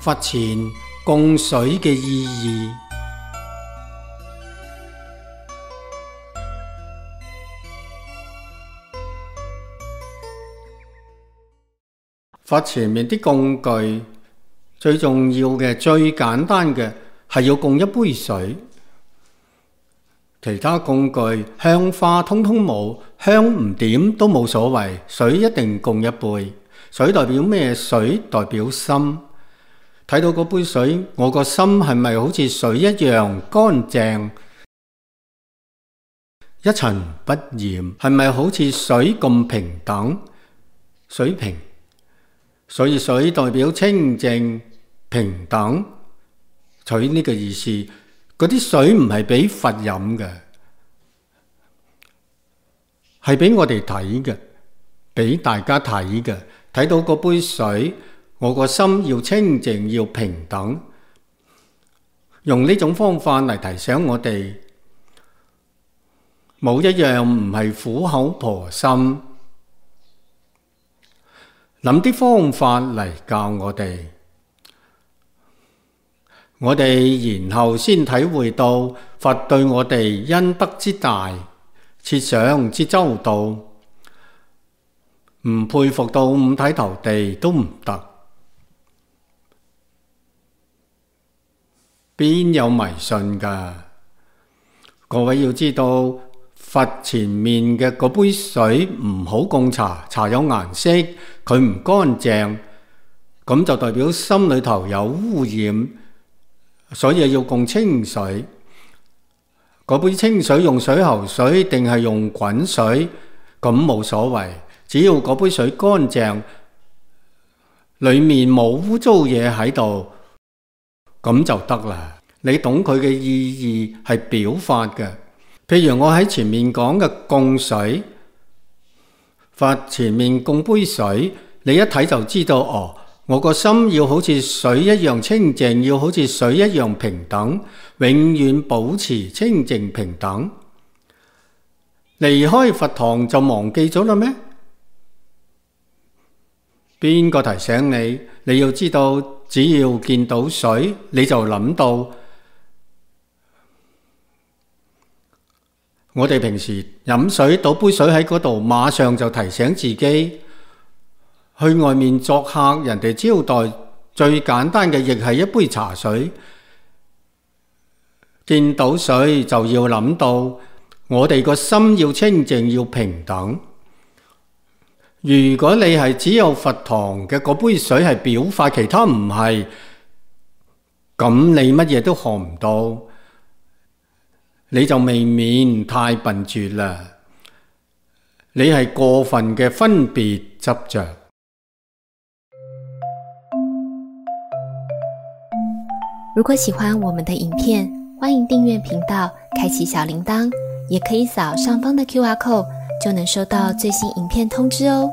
佛前供水嘅意義。佛前面啲供具最重要嘅、最簡單嘅係要供一杯水，其他供具香花通通冇，香唔點都冇所謂，水一定供一杯。水代表咩？水代表心。睇到嗰杯水，我個心係咪好似水一樣乾淨一塵不染？係咪好似水咁平等？水平，所以水代表清淨平等，取呢個意思。嗰啲水唔係俾佛飲嘅，係俾我哋睇嘅，俾大家睇嘅。睇到嗰杯水，我個心要清淨，要平等。用呢種方法嚟提醒我哋，冇一樣唔係苦口婆心。諗啲方法嚟教我哋，我哋然後先體會到佛對我哋恩德之大，設想之周到。唔佩服到五體投地都唔得。邊有迷信㗎？各位要知道，佛前面嘅嗰杯水唔好供茶，茶有顏色，佢唔乾淨，咁就代表心裏頭有污染，所以要供清水。嗰杯清水用水喉水定係用滾水，咁冇所謂。只要嗰杯水乾淨，裏面冇污糟嘢喺度，咁就得啦。你懂佢嘅意義係表法嘅。譬如我喺前面講嘅供水，佛前面供杯水，你一睇就知道，哦，我個心要好似水一樣清淨，要好似水一樣平等，永遠保持清淨平等。離開佛堂就忘記咗啦咩？邊個提醒你？你要知道，只要見到水，你就諗到。我哋平時飲水，倒杯水喺嗰度，馬上就提醒自己。去外面作客，人哋招待，最簡單嘅亦係一杯茶水。見到水就要諗到，我哋個心要清淨，要平等。如果你係只有佛堂嘅嗰杯水係表法，其他唔係，咁你乜嘢都學唔到，你就未免太笨拙啦。你係過分嘅分別執着。如果喜歡我們的影片，歡迎訂閱頻道，開啟小鈴鐺，也可以掃上方的QR code，就能收到最新影片通知哦。